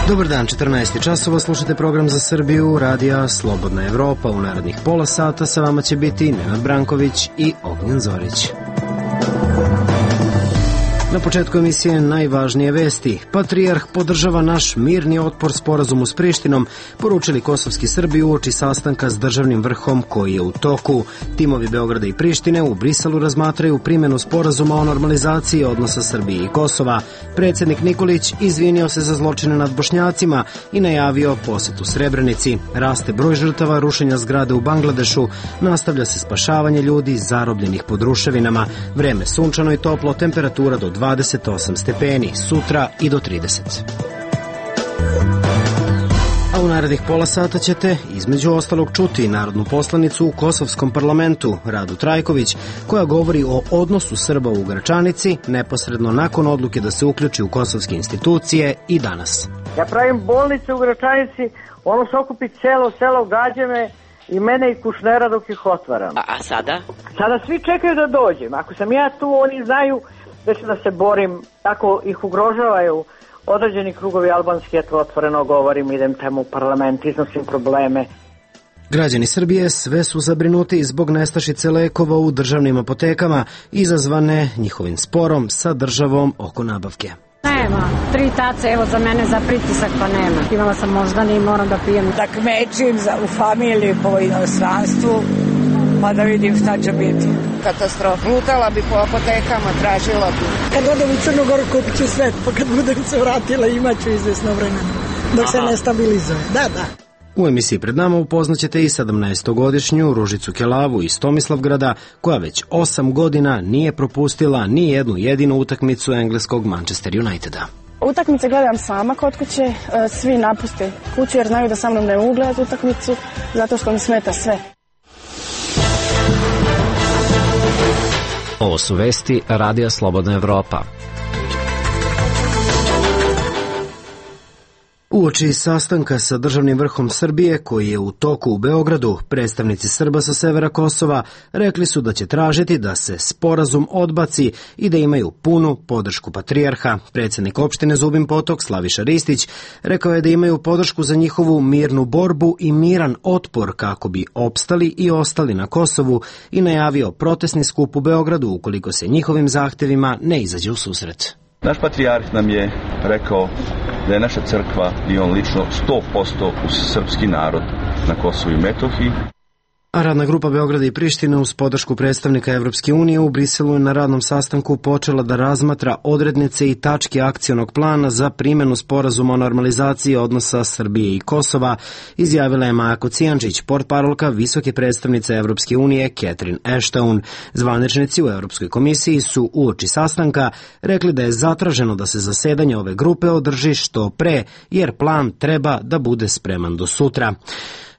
Dobar dan, 14 časova, slušate program za Srbiju, radija Slobodna Evropa. U narednih pola sata sa vama će biti Nenad Branković i Ognjen Zorić. Na početku emisije najvažnije vesti. Patrijarh podržava naš mirni otpor sporazumu s Prištinom, poručili kosovski Srbi uoči sastanka s državnim vrhom koji je u toku. Timovi Beograda i Prištine u Briselu razmatraju primjenu sporazuma o normalizaciji odnosa Srbije i Kosova. Predsjednik Nikolić izvinio se za zločine nad Bošnjacima i najavio posetu Srebrenici. Raste broj žrtava rušenja zgrade u Bangladešu, nastavlja se spašavanje ljudi zarobljenih pod ruševinama. Vreme sunčano i toplo, temperatura do 28 stepeni, sutra i do 30. A u narednih pola sata ćete između ostalog čuti narodnu poslanicu u Kosovskom parlamentu Radu Trajković, koja govori o odnosu Srba u Gračanici neposredno nakon odluke da se uključi u kosovske institucije i danas. Ja pravim bolnice u Gračanici, ono se okupi celo selo, gađe me i mene i Kušnera dok ih otvaram. A sada? Sada svi čekaju da dođem. Ako sam ja tu, oni znaju da ću da se borim, tako ih ugrožavaju određeni krugovi albanski, ja to otvoreno govorim, idem tamo u parlament, iznosim probleme. Građani Srbije sve su zabrinuti zbog nestašice lekova u državnim apotekama, izazvane njihovim sporom sa državom oko nabavke. Nema, 3 tace, evo za mene za pritisak pa nema. Imala sam moždani i moram da pijem. Da kmećim u familiji po inostranstvu, pa da vidim šta će biti. Katastrofa. Lutala bi po apotekama, tražila bi. Kad odem u Crnu Goru kupit ću sve, pa kad budem se vratila imaću izvesno vremena, dok se ne stabilizuje. Da. U emisiji pred nama upoznaćete i 17-godišnju Ružicu Kelavu iz Tomislavgrada, koja već 8 godina nije propustila ni jednu jedinu utakmicu engleskog Manchester Uniteda. Utakmice gledam sama kod kuće, svi napuste kuću jer znaju da sa mnom ne mogu gledati utakmicu, zato što mi smeta sve. Ovo su vesti Radija Slobodna Evropa. Uoči sastanka sa državnim vrhom Srbije, koji je u toku u Beogradu, predstavnici Srba sa severa Kosova rekli su da će tražiti da se sporazum odbaci i da imaju punu podršku patrijarha. Predsjednik opštine Zubin Potok, Slaviša Ristić, rekao je da imaju podršku za njihovu mirnu borbu i miran otpor kako bi opstali i ostali na Kosovu i najavio protestni skup u Beogradu ukoliko se njihovim zahtjevima ne izađe u susret. Naš patrijarh nam je rekao da je naša crkva i on lično 100% uz srpski narod na Kosovu i Metohiji. A radna grupa Beograda i Prištine uz podršku predstavnika Evropske unije u Briselu je na radnom sastanku počela da razmatra odrednice i tačke akcionog plana za primjenu sporazuma o normalizaciji odnosa Srbije i Kosova, izjavila je Maja Kocijančić, portparolka visoke predstavnice Evropske unije Catherine Ashton. Zvaničnici u Evropskoj komisiji su uoči sastanka rekli da je zatraženo da se zasedanje ove grupe održi što pre, jer plan treba da bude spreman do sutra.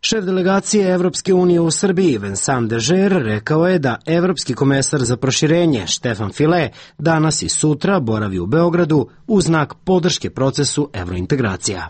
Šef delegacije Evropske unije u Srbiji, Vincent Dežer, rekao je da Evropski komesar za proširenje, Štefan File, danas i sutra boravi u Beogradu u znak podrške procesu evrointegracija.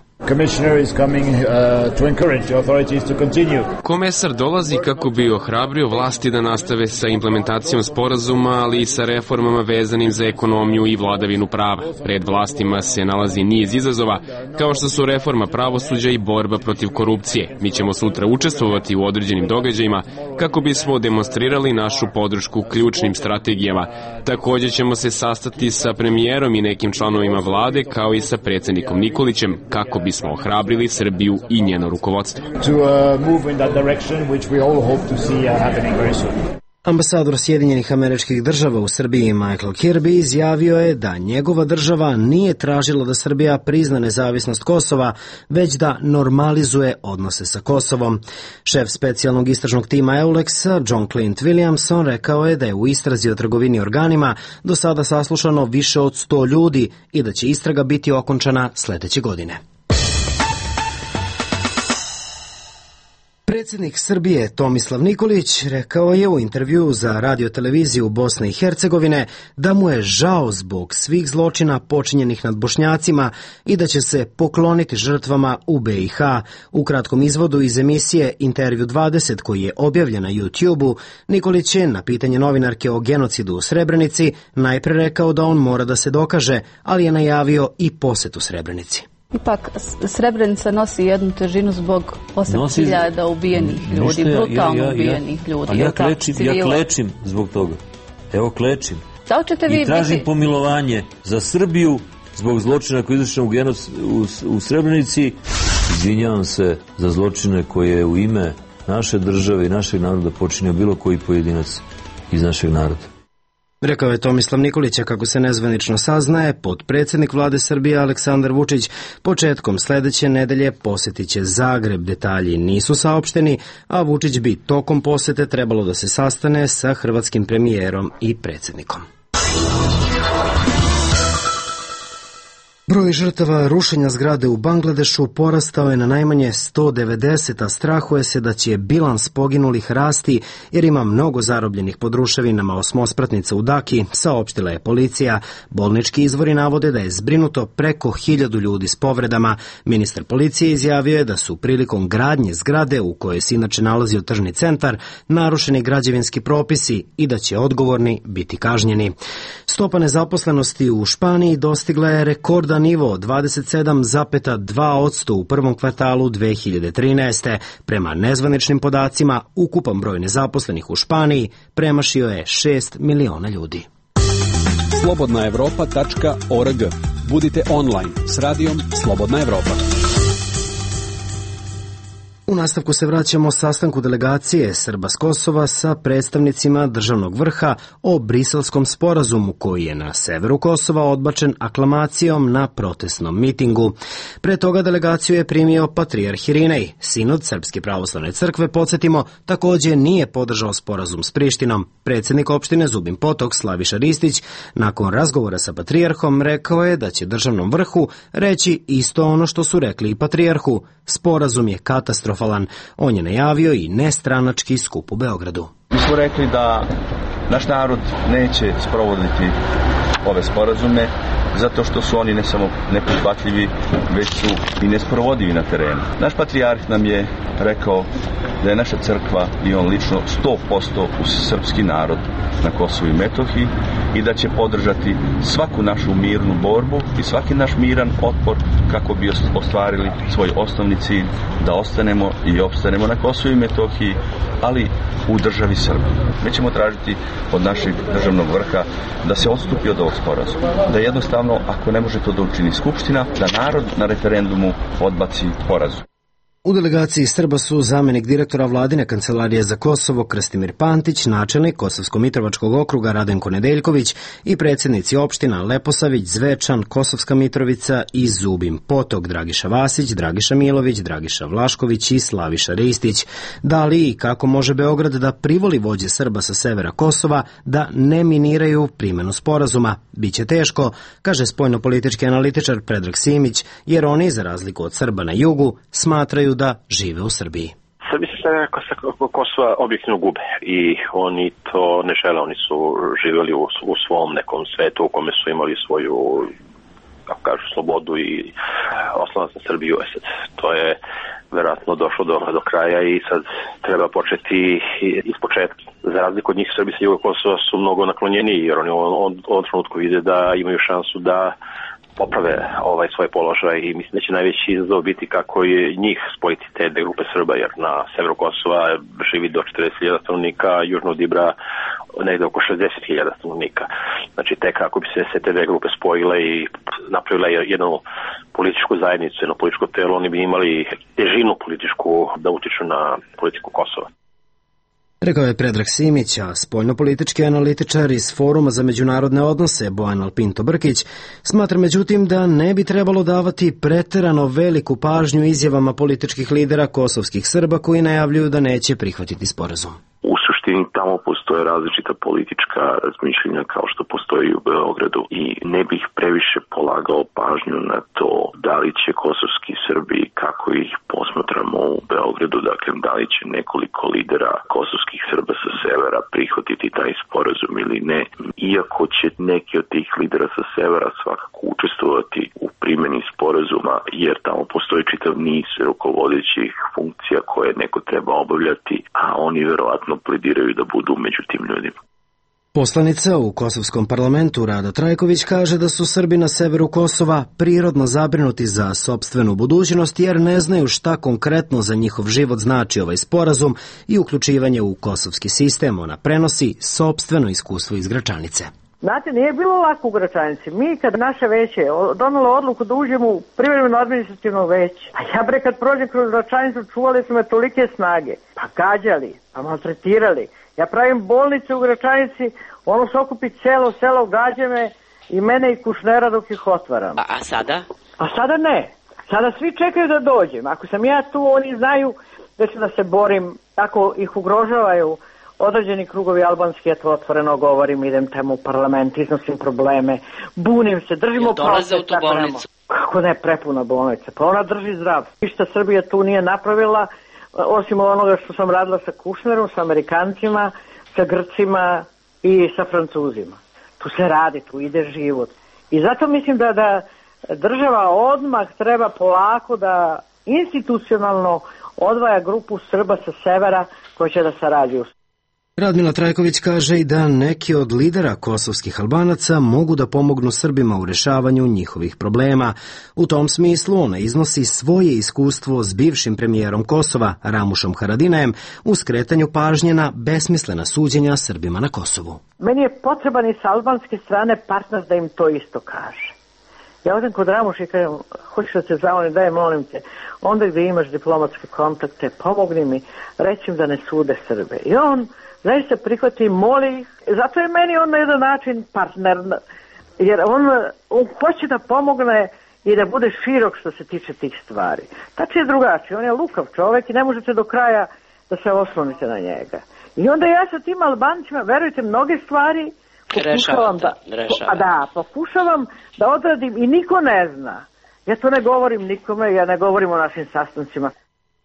Komesar dolazi kako bi ohrabrio vlasti da nastave sa implementacijom sporazuma, ali i sa reformama vezanim za ekonomiju i vladavinu prava. Pred vlastima se nalazi niz izazova, kao što su reforma pravosuđa i borba protiv korupcije. Mi ćemo sutra učestvovati u određenim događajima kako bismo demonstrirali našu podršku ključnim strategijama. Također ćemo se sastati sa premijerom i nekim članovima vlade, kao i sa predsjednikom Nikolićem, kako bismo ohrabrili Srbiju i njeno rukovodstvo. Ambasador Sjedinjenih Američkih Država u Srbiji Michael Kirby izjavio je da njegova država nije tražila da Srbija prizna nezavisnost Kosova, već da normalizuje odnose sa Kosovom. Šef specijalnog istražnog tima EULEX-a John Clint Williamson rekao je da je u istrazi o trgovini organima do sada saslušano više od 100 ljudi i da će istraga biti okončana sledeće godine. Predsjednik Srbije Tomislav Nikolić rekao je u intervjuu za radioteleviziju Bosne i Hercegovine da mu je žao zbog svih zločina počinjenih nad Bošnjacima i da će se pokloniti žrtvama u BiH. U kratkom izvodu iz emisije Intervju 20 koji je objavljen na YouTube-u, Nikolić je na pitanje novinarke o genocidu u Srebrenici najpre rekao da on mora da se dokaže, ali je najavio i posetu Srebrenici. Ipak Srebrenica nosi jednu težinu zbog 8.000 ubijenih ljudi, brutalno ubijenih ljudi. Ali ja klečim zbog toga. Evo klečim. I tražim pomilovanje za Srbiju zbog zločina koji je izvršen u Srebrenici. Izvinjavam se za zločine koje je u ime naše države i našeg naroda počinio bilo koji pojedinac iz našeg naroda. Rekao je Tomislav Nikolić, a kako se nezvanično saznaje, potpredsjednik vlade Srbije Aleksandar Vučić početkom sledeće nedelje posetit će Zagreb. Detalji nisu saopšteni, a Vučić bi tokom posete trebalo da se sastane sa hrvatskim premijerom i predsjednikom. Broj žrtava rušenja zgrade u Bangladešu porastao je na najmanje 190, a strahuje se da će bilans poginulih rasti jer ima mnogo zarobljenih pod ruševinama osmospratnica u Daki, saopštila je policija. Bolnički izvori navode da je zbrinuto preko 1000 ljudi s povredama. Ministar policije izjavio je da su prilikom gradnje zgrade u kojoj se inače nalazio tržni centar narušeni građevinski propisi i da će odgovorni biti kažnjeni. Stopa nezaposlenosti u Španiji dostigla je rekordan nivo 27,2% u prvom kvartalu 2013. Prema nezvaničnim podacima, ukupan broj nezaposlenih u Španiji premašio je 6 miliona ljudi. Slobodnaevropa.org. Budite online s radijom Slobodna Evropa. U nastavku se vraćamo sastanku delegacije Srba s Kosova sa predstavnicima državnog vrha o Briselskom sporazumu koji je na severu Kosova odbačen aklamacijom na protestnom mitingu. Pre toga delegaciju je primio patrijarh Irinej. Sinod Srpske pravoslavne crkve, podsjetimo, takođe nije podržao sporazum s Prištinom. Predsjednik opštine Zubin Potok Slaviša Ristić nakon razgovora sa patrijarhom rekao je da će državnom vrhu reći isto ono što su rekli i patrijarhu. Sporazum je katastrofalan. On je najavio i nestranački skup u Beogradu. Mi smo rekli da naš narod neće sprovoditi ove sporazume zato što su oni ne samo neprihvatljivi, već su i nesprovodivi na terenu. Naš patrijarh nam je rekao da je naša crkva i on lično 100% uz srpski narod na Kosovu i Metohiji i da će podržati svaku našu mirnu borbu i svaki naš miran otpor kako bi ostvarili svoj osnovni cilj da ostanemo i opstanemo na Kosovu i Metohiji, ali u državi Srbiji. Mi ćemo tražiti od našeg državnog vrha da se odstupi od ovog sporazuma, da jednostavno, ako ne može to da učini Skupština, da narod na referendumu odbaci sporazum. U delegaciji Srba su zamenik direktora vladine kancelarije za Kosovo Krstimir Pantić, načelnik Kosovsko-Mitrovačkog okruga Radenko Nedeljković i predsjednici opština Leposavić, Zvečan, Kosovska Mitrovica i Zubin Potok, Dragiša Vasić, Dragiša Milović, Dragiša Vlašković i Slaviša Ristić. Da li i kako može Beograd da privoli vođe Srba sa severa Kosova da ne miniraju primenu sporazuma? Biće teško, kaže spoljnopolitički analitičar Predrag Simić, jer oni, za razliku od Srba na jugu, smatraju da žive u Srbiji. Srbi se sa Kosova objektivno gube i oni to ne žele, oni su živjeli u svom nekom svetu u kome su imali svoju, kako kažu, slobodu i oslonac na Srbiju. To je verovatno došlo do kraja i sad treba početi iz početka. Za razliku od njih, Srbi sa juga Kosova su mnogo naklonjeniji jer oni u ovom trenutku vide da imaju šansu da poprave svoj položaj i mislim da će najveći izazov biti kako je njih spojiti te dve grupe Srba, jer na severu Kosova živi do 40.000 stanovnika, južno od Ibra negde oko 60.000 stanovnika. Znači tek kako bi se te dve grupe spojile i napravile jednu političku zajednicu, jedno političko telo, oni bi imali težinu političku da utiču na politiku Kosova. Rekao je Predrag Simić, a spoljnopolitički analitičar iz Foruma za međunarodne odnose Bojan Alpinto Brkić smatra međutim da ne bi trebalo davati preterano veliku pažnju izjavama političkih lidera kosovskih Srba koji najavljuju da neće prihvatiti sporazum. U suštini tamo postoje različita politička razmišljenja kao što postoji u Beogradu i ne bih previše polagao pažnju na to da li će kosovski Srbi, kako ih posmatramo u Beogradu, dakle da li će nekoliko lidera kosovskih Srba sa severa prihvatiti taj sporazum ili ne. Iako će neki od tih lidera sa severa svakako učestvovati u primjeni sporazuma, jer tamo postoji čitav niz rukovodećih funkcija koje neko treba obavljati, a oni verovatno plediraju da budu među tim ljudima. Poslanica u Kosovskom parlamentu Rada Trajković kaže da su Srbi na severu Kosova prirodno zabrinuti za sopstvenu budućnost jer ne znaju šta konkretno za njihov život znači ovaj sporazum i uključivanje u kosovski sistem. Ona prenosi sopstveno iskustvo iz Gračanice. Znate, nije bilo lako u Gračanici. Mi kad naše veće donalo odluku da uđemo u privremeno administrativno veće, a ja bre kad prođem kroz Gračanicu čuvali su me tolike snage, pa gađali, pa maltretirali. Ja pravim bolnice u Gračanici, ono se okupi celo selo, gađe me i mene i Kušnera dok ih otvaram. A sada? A sada ne. Sada svi čekaju da dođem. Ako sam ja tu, oni znaju da ću da se borim, tako ih ugrožavaju određeni krugovi albanski, ja to otvoreno govorim, idem tamo u parlament, iznosim probleme, bunim se, držimo dolaze u tu bolnicu? Kako ne, prepuna bolnica, pa ona drži zdrav. Ništa Srbija tu nije napravila, osim onoga što sam radila sa Kušnerom, sa Amerikancima, sa Grcima i sa Francuzima. Tu se radi, tu ide život. I zato mislim da država odmah treba polako da institucionalno odvaja grupu Srba sa severa koji će da sarađuju. Radmila Trajković kaže i da neki od lidera kosovskih Albanaca mogu da pomognu Srbima u rešavanju njihovih problema. U tom smislu ona iznosi svoje iskustvo s bivšim premijerom Kosova, Ramušom Haradinajem, u skretanju pažnje na besmislena suđenja Srbima na Kosovu. Meni je potreban i sa albanske strane partner da im to isto kaže. Ja odem kod Ramuša i kažem, hoćeš da te zavolim, daj molim te, onda gde imaš diplomatske kontakte, pomogni mi, reći im da ne sude Srbe. I on zaista prihvati i moli ih. Zato je meni on na jedan način partner, jer on hoće da pomogne i da bude širok što se tiče tih stvari. Tači je drugačiji, on je lukav čovek i ne možete do kraja da se oslonite na njega. I onda ja sa tim Albancima, verujte, mnoge stvari pokušavam da odradim i niko ne zna. Ja to ne govorim nikome, ja ne govorim o našim sastancima.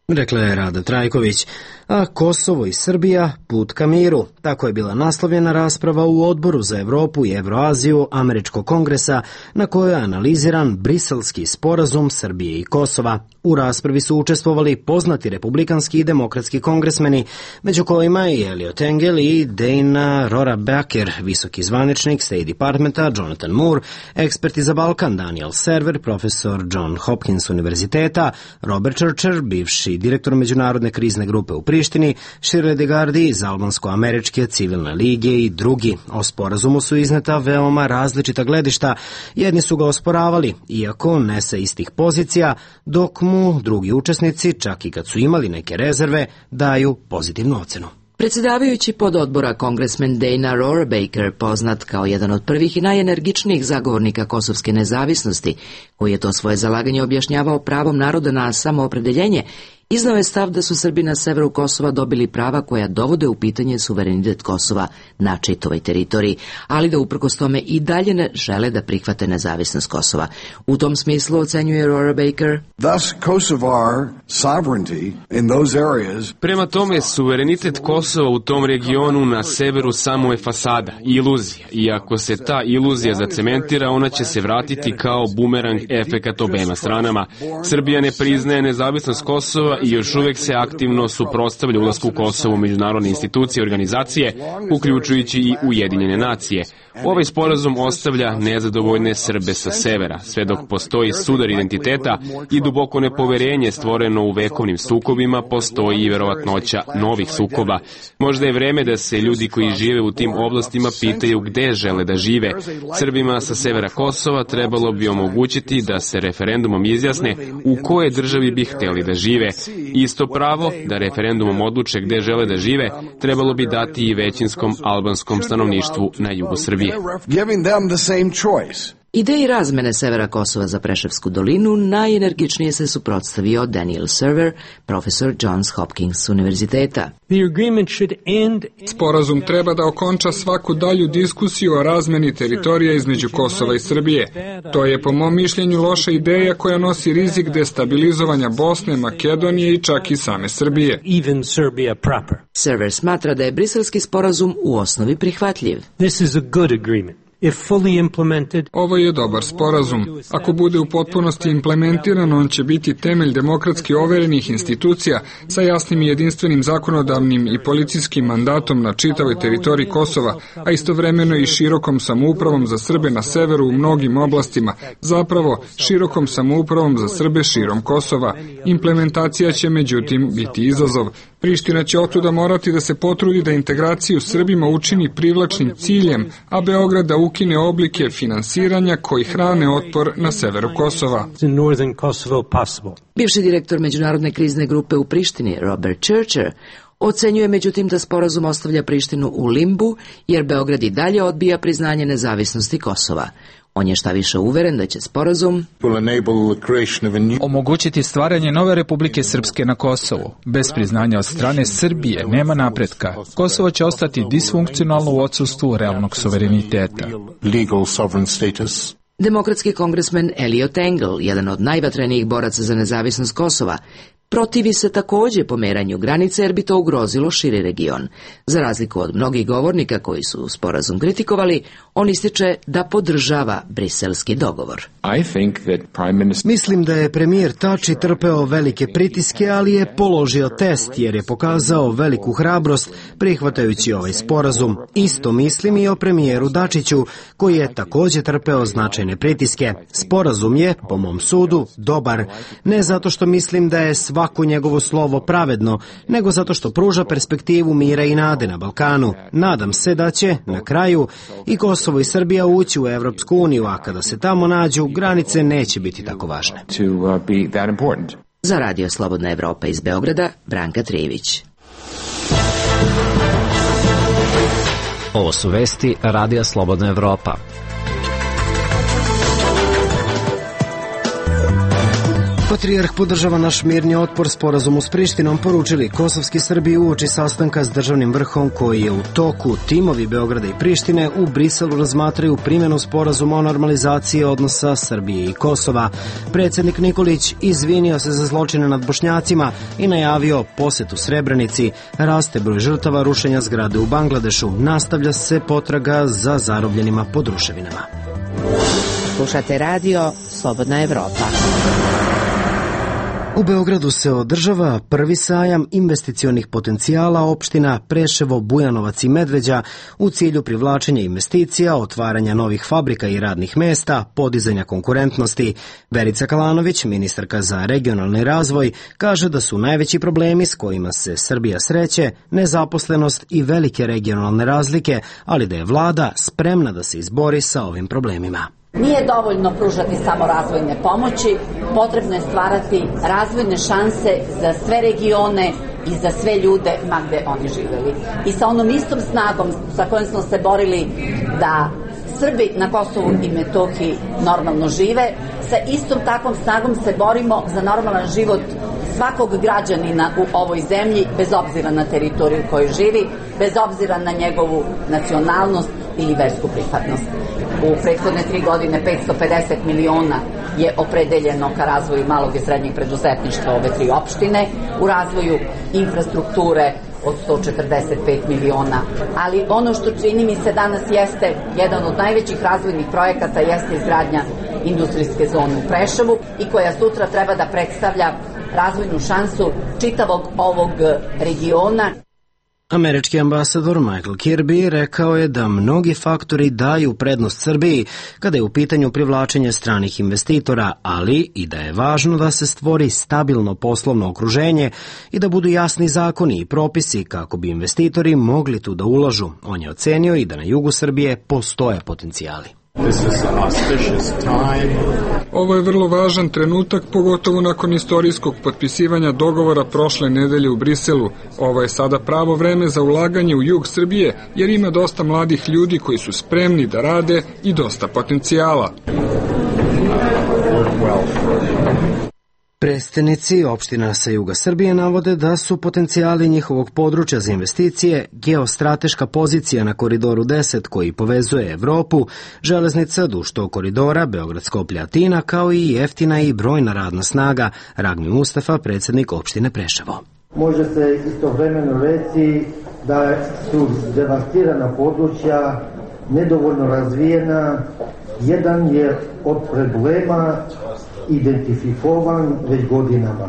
Rekla je Rada Trajković, a Kosovo i Srbija put ka miru. Tako je bila naslovljena rasprava u Odboru za Evropu i Evroaziju Američkog kongresa na kojoj je analiziran briselski sporazum Srbije i Kosova. U raspravi su učestvovali poznati republikanski i demokratski kongresmeni, među kojima i Eliot Engel i Dana Rohrabacher, visoki zvaničnik State Departmenta Jonathan Moore, eksperti za Balkan Daniel Server, profesor John Hopkins univerziteta, Robert Churcher, bivši direktor Međunarodne krizne grupe u Prištini, Shirley DeGardi iz Albansko-američke civilne lige i drugi. O sporazumu su izneta veoma različita gledišta. Jedni su ga osporavali, iako ne sa istih pozicija, dok mu drugi učesnici, čak i kad su imali neke rezerve, daju pozitivnu ocenu. Predsjedavajući pododbora kongresmen Dana Rohrabacher, poznat kao jedan od prvih i najenergičnijih zagovornika kosovske nezavisnosti, koji je to svoje zalaganje objašnjavao pravom naroda na samoopredeljenje, iznao je stav da su Srbi na severu Kosova dobili prava koja dovode u pitanje suverenitet Kosova na čitavoj teritoriji, ali da uprkos tome i dalje ne žele da prihvate nezavisnost Kosova. U tom smislu, ocenjuje Rohrabacher, prema tome, suverenitet Kosova u tom regionu na severu samo je fasada, iluzija. I ako se ta iluzija zacementira, ona će se vratiti kao bumerang efekat obema stranama. Srbija ne priznaje nezavisnost Kosova i još uvek se aktivno suprotstavlja ulasku Kosova u međunarodne institucije i organizacije, uključujući i Ujedinjene nacije. Ovaj sporazum ostavlja nezadovoljne Srbe sa severa, sve dok postoji sudar identiteta i duboko nepoverenje stvoreno u vekovnim sukobima, postoji i verovatnoća novih sukoba. Možda je vreme da se ljudi koji žive u tim oblastima pitaju gde žele da žive. Srbima sa severa Kosova trebalo bi omogućiti da se referendumom izjasne u koje državi bi hteli da žive. Isto pravo da referendumom odluče gde žele da žive trebalo bi dati i većinskom albanskom stanovništvu na jugu Srbije. Ideji razmene severa Kosova za Preševsku dolinu najenergičnije se suprotstavio Daniel Server, profesor Johns Hopkins univerziteta. Sporazum treba da okonča svaku dalju diskusiju o razmeni teritorija između Kosova i Srbije. To je po mom mišljenju loša ideja koja nosi rizik destabilizovanja Bosne, Makedonije i čak i same Srbije. Server smatra da je briselski sporazum u osnovi prihvatljiv. Ovo je dobar sporazum. Ako bude u potpunosti implementiran, on će biti temelj demokratski overenih institucija sa jasnim i jedinstvenim zakonodavnim i policijskim mandatom na čitavoj teritoriji Kosova, a istovremeno i širokom samoupravom za Srbe na severu u mnogim oblastima, zapravo širokom samoupravom za Srbe širom Kosova. Implementacija će međutim biti izazov. Priština će otuda morati da se potrudi da integraciju Srbima učini privlačnim ciljem, a Beograd da ukine oblike finansiranja koji hrane otpor na severu Kosova. Bivši direktor Međunarodne krizne grupe u Prištini, Robert Churcher, ocenjuje međutim da sporazum ostavlja Prištinu u limbu, jer Beograd i dalje odbija priznanje nezavisnosti Kosova. On je šta više uveren da će sporazum omogućiti stvaranje nove Republike Srpske na Kosovu. Bez priznanja od strane Srbije nema napretka. Kosovo će ostati disfunkcionalno u odsustvu realnog suvereniteta. Demokratski kongresmen Eliot Engel, jedan od najvatrenijih boraca za nezavisnost Kosova, protivi se također pomeranju granice jer bi to ugrozilo širi region. Za razliku od mnogih govornika koji su sporazum kritikovali, on ističe da podržava briselski dogovor. Mislim da je premijer Tači trpeo velike pritiske, ali je položio test jer je pokazao veliku hrabrost prihvatajući ovaj sporazum. Isto mislim i o premijeru Dačiću, koji je također trpeo značajne pritiske. Sporazum je, po mom sudu, dobar. Ne zato što mislim da je svako njegovo slovo pravedno, nego zato što pruža perspektivu mira i nade na Balkanu. Nadam se da će, na kraju, i Kosovo i Srbija ući u Evropsku uniju, a kada se tamo nađu, granice neće biti tako važne. Za Radio Slobodna Evropa iz Beograda, Branka Trijević. Ovo su vesti Radija Slobodna Evropa. Patrijarh podržava naš mirni otpor sporazumu s Prištinom, poručili kosovski Srbi uoči sastanka s državnim vrhom koji je u toku. Timovi Beograda i Prištine u Briselu razmatraju primjenu sporazuma o normalizaciji odnosa Srbije i Kosova. Predsjednik Nikolić izvinio se za zločine nad Bošnjacima i najavio posetu Srebrenici. Raste broj žrtava rušenja zgrade u Bangladešu. Nastavlja se potraga za zarobljenima pod ruševinama. Slušate radio Slobodna Evropa. U Beogradu se održava prvi sajam investicionih potencijala opština Preševo, Bujanovac i Medveđa u cilju privlačenja investicija, otvaranja novih fabrika i radnih mesta, podizanja konkurentnosti. Verica Kalanović, ministarka za regionalni razvoj, kaže da su najveći problemi s kojima se Srbija sreće nezaposlenost i velike regionalne razlike, ali da je vlada spremna da se izbori sa ovim problemima. Nije dovoljno pružati samo razvojne pomoći, potrebno je stvarati razvojne šanse za sve regione i za sve ljude ma gde oni živeli. I sa onom istom snagom sa kojom smo se borili da Srbi na Kosovu i Metohiji normalno žive, sa istom takvom snagom se borimo za normalan život svakog građanina u ovoj zemlji, bez obzira na teritoriju koju živi, bez obzira na njegovu nacionalnost ili versku pripadnost. U prethodne 3 godine 550 miliona je opredeljeno ka razvoju malog i srednjeg preduzetništva ove 3 opštine, u razvoju infrastrukture od 145 miliona. Ali ono što čini mi se danas jeste jedan od najvećih razvojnih projekata jeste izgradnja industrijske zone u Preševu i koja sutra treba da predstavlja razvojnu šansu čitavog ovog regiona. Američki ambasador Michael Kirby rekao je da mnogi faktori daju prednost Srbiji kada je u pitanju privlačenje stranih investitora, ali i da je važno da se stvori stabilno poslovno okruženje i da budu jasni zakoni i propisi kako bi investitori mogli tu da ulažu. On je ocenio i da na jugu Srbije postoje potencijali. Ovo je vrlo važan trenutak, pogotovo nakon istorijskog potpisivanja dogovora prošle nedelje u Briselu. Ovo je sada pravo vreme za ulaganje u jug Srbije, jer ima dosta mladih ljudi koji su spremni da rade i dosta potencijala. Predstavnici opština sa juga Srbije navode da su potencijali njihovog područja za investicije geostrateška pozicija na Koridoru 10 koji povezuje Evropu, železnica duž tog koridora, Beograd-Skoplje-Atina, kao i jeftina i brojna radna snaga. Ragmi Mustafa, predsjednik opštine Preševo. Može se istovremeno reći da su devastirana područja nedovoljno razvijena, jedan je od problema identifikovan već godinama.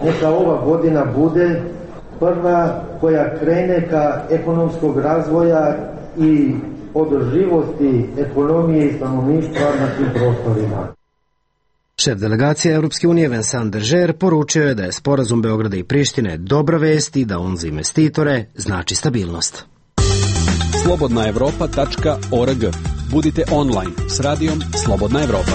Neka ova godina bude prva koja krene ka ekonomskog razvoja i održivosti ekonomije i stanovništva na tim prostorima. Šef delegacije Europske unije Vincent Deger poručio je da je sporazum Beograda i Prištine dobra vest i da on za investitore znači stabilnost. slobodnaevropa.org. Budite online s radijom Slobodna Evropa.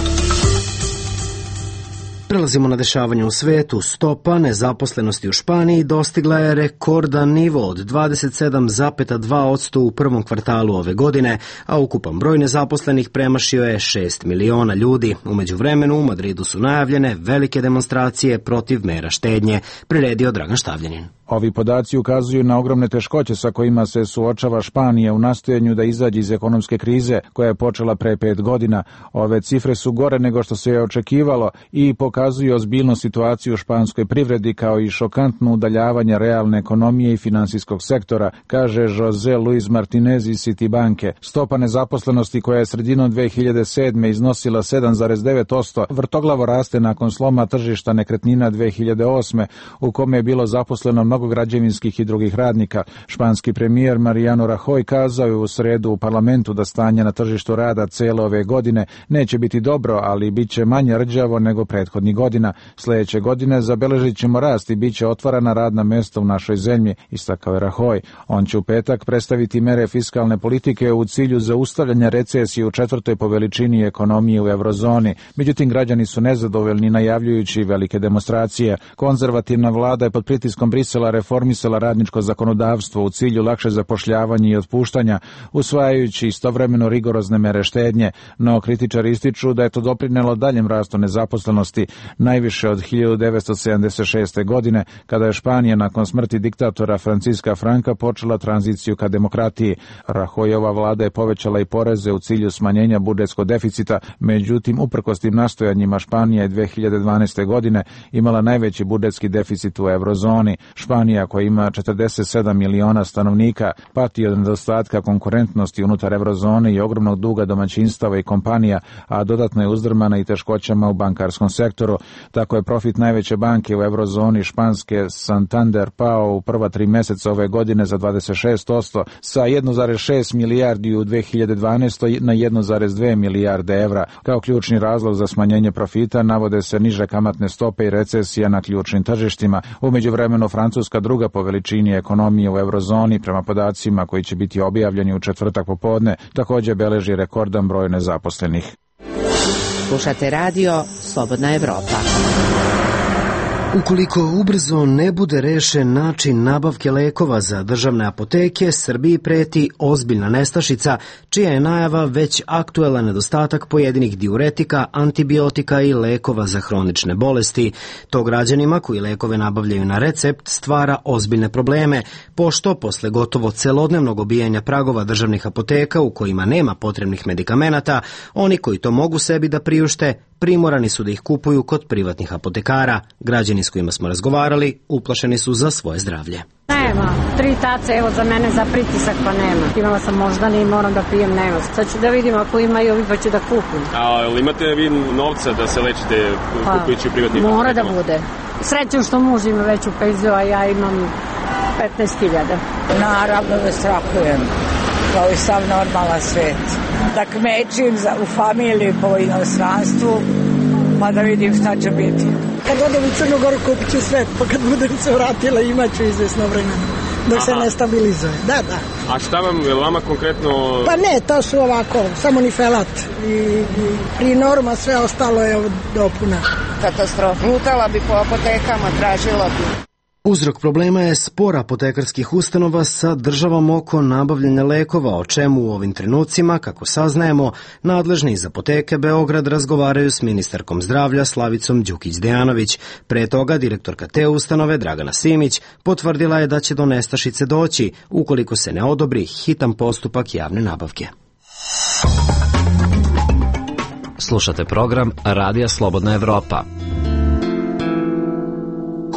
Prelazimo na dešavanje u svetu. Stopa nezaposlenosti u Španiji dostigla je rekordan nivo od 27,2% u prvom kvartalu ove godine, a ukupan broj nezaposlenih premašio je 6 miliona ljudi. U međuvremenu u Madridu su najavljene velike demonstracije protiv mera štednje, priredio Dragan Štavljanin. Ovi podaci ukazuju na ogromne teškoće sa kojima se suočava Španija u nastojanju da izađe iz ekonomske krize koja je počela pre 5 godina. Ove cifre su gore nego što se je očekivalo i pokazuju ozbiljnu situaciju u španskoj privredi kao i šokantno udaljavanje realne ekonomije i finansijskog sektora, kaže José Luis Martinez iz Citibanke. Stopa nezaposlenosti koja je sredinom 2007. iznosila 7,9% vrtoglavo raste nakon sloma tržišta nekretnina 2008. u kome je bilo zaposleno mnogo građevinskih i drugih radnika. Španski premijer Mariano Rajoy kazao je u sredu u parlamentu da stanje na tržištu rada cele ove godine neće biti dobro, ali bit će manje rđavo nego prethodnih godina. Sljedeće godine zabeležit ćemo rast i bit će otvarana radna mesta u našoj zemlji, istakao je Rajoy. On će u petak predstaviti mere fiskalne politike u cilju zaustavljanja recesije u četvrtoj po veličini ekonomije u eurozoni. Međutim, građani su nezadovoljni najavljujući velike demonstracije. Konzervativna vlada je pod pritiskom Brisela reformisala radničko zakonodavstvo u cilju lakše zapošljavanja i otpuštanja, usvajajući istovremeno rigorozne mere štednje, no kritičari ističu da je to doprinelo daljem rastu nezaposlenosti, najviše od 1976. godine, kada je Španija nakon smrti diktatora Franciska Franka počela tranziciju ka demokratiji. Rajoyova vlada je povećala i poreze u cilju smanjenja budžetskog deficita, međutim, uprkos tim nastojanjima Španija je 2012. godine imala najveći budžetski deficit u eurozoni. Španija, koja ima 47 miliona stanovnika, pati od nedostatka konkurentnosti unutar eurozone i ogromnog duga domaćinstava i kompanija, a dodatno je uzdrmana i teškoćama u bankarskom sektoru. Tako je profit najveće banke u eurozoni španske Santander pao u prva 3 meseca ove godine za 26%, sa 1,6 milijardi u 2012. na 1,2 milijarde evra. Kao ključni razlog za smanjenje profita navode se niže kamatne stope i recesija na ključnim tržištima. U međuvremenu Francuska, druga po veličini ekonomije u eurozoni, prema podacima koji će biti objavljeni u četvrtak popodne, također beleži rekordan broj nezaposlenih. Slušate radio Slobodna Evropa. Ukoliko ubrzo ne bude rešen način nabavke lekova za državne apoteke, Srbiji preti ozbiljna nestašica, čija je najava već aktuelan nedostatak pojedinih diuretika, antibiotika i lekova za hronične bolesti. To građanima koji lekove nabavljaju na recept stvara ozbiljne probleme, pošto posle gotovo celodnevnog obijanja pragova državnih apoteka u kojima nema potrebnih medikamenata, oni koji to mogu sebi da priušte, primorani su da ih kupuju kod privatnih apotekara. Građani s kojima smo razgovarali uplašeni su za svoje zdravlje. Nema, 3 tace, evo za mene za pritisak pa nema. Imala sam moždani i moram da pijem, nema. Sad ću da vidim ako imaju ovi pa ću da kupim. A imate vi novca da se lečite kupujući u privatnih apotekama? Mora da bude. Srećem što muž ima veću penziju, a ja imam 15.000. Naravno da strahujem, kao i sav normalan svet. Da kmećim u familiji po inostranstvu, pa da vidim šta će biti. Kad odem u Crnu Goru kupit ću sve, pa kad budem se vratila imat ću izvesno vremena, dok se ne stabilizuje. Da. A šta vama konkretno... Pa ne, to su ovako, samo nifelat i prinorma, sve ostalo je od dopuna. Katastrofa. Lutala bi po apotekama, tražila bi. Uzrok problema je spor apotekarskih ustanova sa državom oko nabavljanja lekova, o čemu u ovim trenucima, kako saznajemo, nadležni iz apoteke Beograd razgovaraju s ministarkom zdravlja Slavicom Đukić-Dejanović. Pre toga direktorka te ustanove Dragana Simić potvrdila je da će do nestašice doći ukoliko se ne odobri hitan postupak javne nabavke. Slušate program Radija Slobodna Evropa.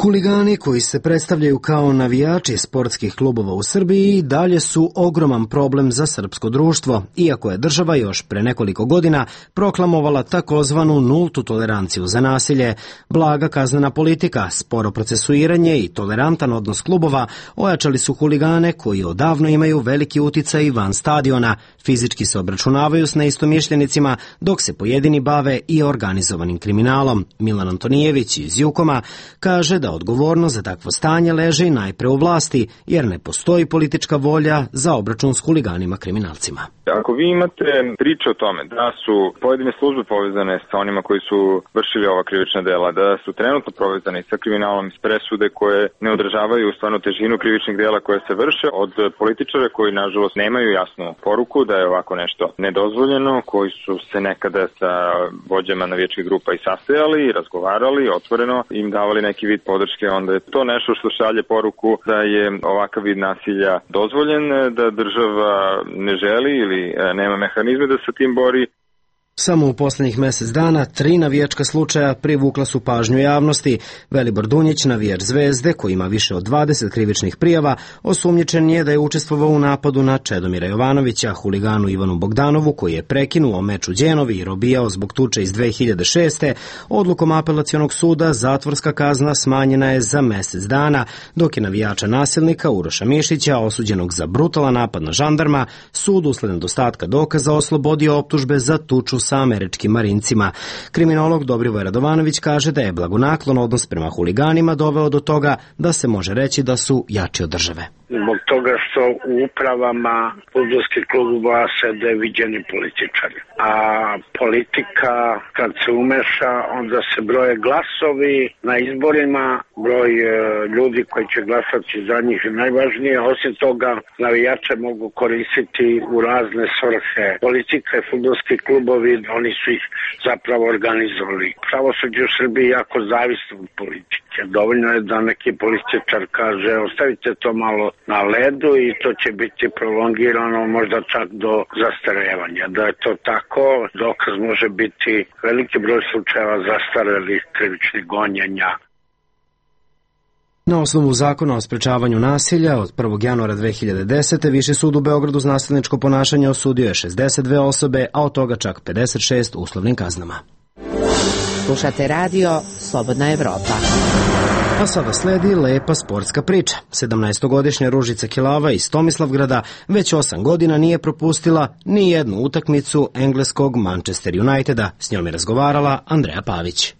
Huligani koji se predstavljaju kao navijači sportskih klubova u Srbiji i dalje su ogroman problem za srpsko društvo, iako je država još pre nekoliko godina proklamovala takozvanu nultu toleranciju za nasilje. Blaga kaznena politika, sporo procesuiranje i tolerantan odnos klubova ojačali su huligane koji odavno imaju veliki uticaj van stadiona, fizički se obračunavaju s neistomišljenicima, dok se pojedini bave i organizovanim kriminalom. Milan Antonijević iz Jukoma kaže da odgovornost za takvo stanje leži najpre u vlasti, jer ne postoji politička volja za obračun s huliganima kriminalcima. Ako vi imate priče o tome da su pojedine službe povezane sa onima koji su vršili ova krivična dela, da su trenutno povezane sa kriminalom iz presude koje ne odražavaju stvarno težinu krivičnih dela koje se vrše, od političara koji nažalost nemaju jasnu poruku da je ovako nešto nedozvoljeno, koji su se nekada sa vođama navijačkih grupa i sastajali i razgovarali, otvoreno im davali neki vid podrške, onda je to nešto što šalje poruku da je ovakav vid nasilja dozvoljen, da država ne želi ili nema mehanizme da se tim bori. Samo u poslednjih mesec dana 3 navijačka slučaja privukla su pažnju javnosti. Velibor Dunjić, navijač Zvezde, koji ima više od 20 krivičnih prijava, osumnjičen je da je učestvovao u napadu na Čedomira Jovanovića, huliganu Ivanu Bogdanovu, koji je prekinuo meč u Đenovi i robijao zbog tuče iz 2006. Odlukom apelacionog suda zatvorska kazna smanjena je za mesec dana, dok je navijača nasilnika Uroša Mišića, osuđenog za brutalan napad na žandarma, sud usled nedostatka dokaza oslobodio optužbe za tuču sa američkim marincima. Kriminolog Dobrivoje Radovanović kaže da je blagonaklon odnos prema huliganima doveo do toga da se može reći da su jači od države. Zbog toga što u upravama fudbalskih klubova sede viđeni političari. A politika kad se umeša, onda se broje glasovi na izborima, broj ljudi koji će glasati za njih je najvažnije. Osim toga, navijače mogu koristiti u razne svrhe. Politika i fudbalski klubovi, oni su ih zapravo organizovali. Pravosuđe u Srbiji jako zavisno od politike. Dovoljno je da neki političar kaže ostavite to malo na ledu i to će biti prolongirano možda čak do zastarevanja. Da je to tako, dokaz može biti veliki broj slučajeva zastarelih krivičnih gonjenja. Na osnovu zakona o sprečavanju nasilja od 1. januara 2010. Viši sud u Beogradu za nasilničko ponašanje osudio je 62 osobe, a od toga čak 56 uslovnim kaznama. Slušate radio Slobodna Evropa. A sada sledi lepa sportska priča. 17-godišnja Ružica Kelava iz Tomislavgrada već 8 godina nije propustila ni jednu utakmicu engleskog Manchester Uniteda. S njom je razgovarala Andreja Pavić.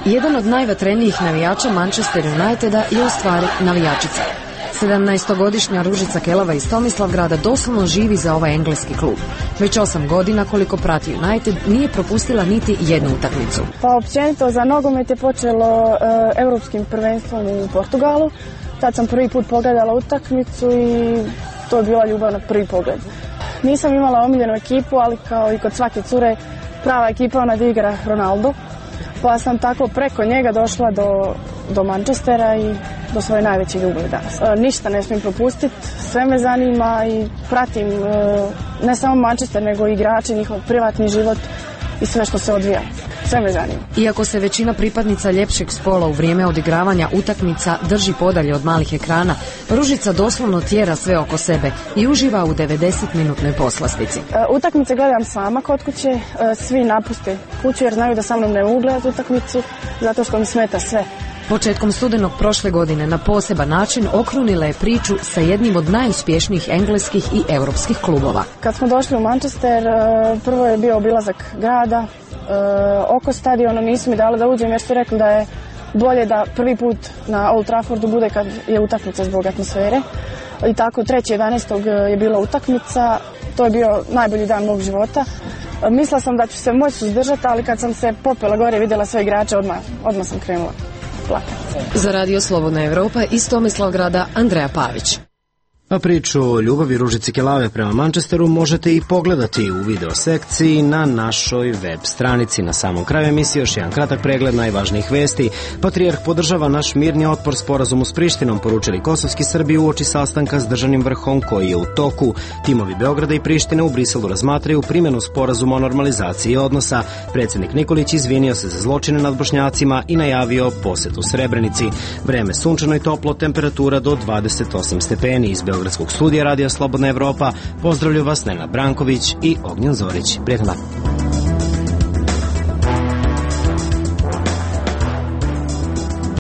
Jedan od najvatrenijih navijača Manchester Uniteda je u stvari navijačica. 17-godišnja Ružica Kelava iz Tomislavgrada doslovno živi za ovaj engleski klub. Već 8 godina koliko prati United nije propustila niti jednu utakmicu. Pa općenito za nogomet je počelo evropskim prvenstvom u Portugalu. Tad sam prvi put pogledala utakmicu i to je bila ljubav na prvi pogled. Nisam imala omiljenu ekipu, ali kao i kod svake cure prava ekipa ona da igra Ronaldo. Pa sam tako preko njega došla do Manchestera i do svoje najveće ljubavi danas. Ništa ne smijem propustiti, sve me zanima i pratim ne samo Manchester, nego i igrače, njihov privatni život i sve što se odvija. Sve me zanima. Iako se većina pripadnica ljepšeg spola u vrijeme odigravanja utakmica drži podalje od malih ekrana, Ružica doslovno tjera sve oko sebe i uživa u 90-minutnoj poslastici. Utakmice gledam sama kod kuće, svi napuste kuću jer znaju da sa mnom ne mogu gledati utakmicu zato što mi smeta sve. Početkom studenog prošle godine na poseban način okrunila je priču sa jednim od najuspješnijih engleskih i europskih klubova. Kad smo došli u Manchester, prvo je bio obilazak grada, oko stadiona nisu mi dali da uđem jer su rekli da je bolje da prvi put na Old Traffordu bude kad je utakmica zbog atmosfere. I tako 3.11. je bila utakmica, to je bio najbolji dan mog života. Mislila sam da ću se moći suzdržati, ali kad sam se popela gore i vidjela sve igrače, odmah sam krenula plakati. Za radio Slobodna Evropa iz Tomislavgrada Andreja Pavić. A priču o ljubavi Ružice Kelave prema Manchesteru možete i pogledati u video sekciji na našoj web stranici. Na samom kraju emisije još jedan kratak pregled najvažnijih vesti. Patrijarh podržava naš mirni otpor sporazumu s Prištinom, poručili kosovski Srbi uoči sastanka s državnim vrhom koji je u toku. Timovi Beograda i Prištine u Briselu razmatraju primjenu sporazuma o normalizaciji odnosa. Predsjednik Nikolić izvinio se za zločine nad Bošnjacima i najavio posetu Srebrenici. Vreme sunčano i toplo, temperatura do 28 stepeni. Iz Beogradskog studija Radija Slobodna Evropa pozdravljaju vas Nenad Branković i Ognjen Zorić. Prijetno dan.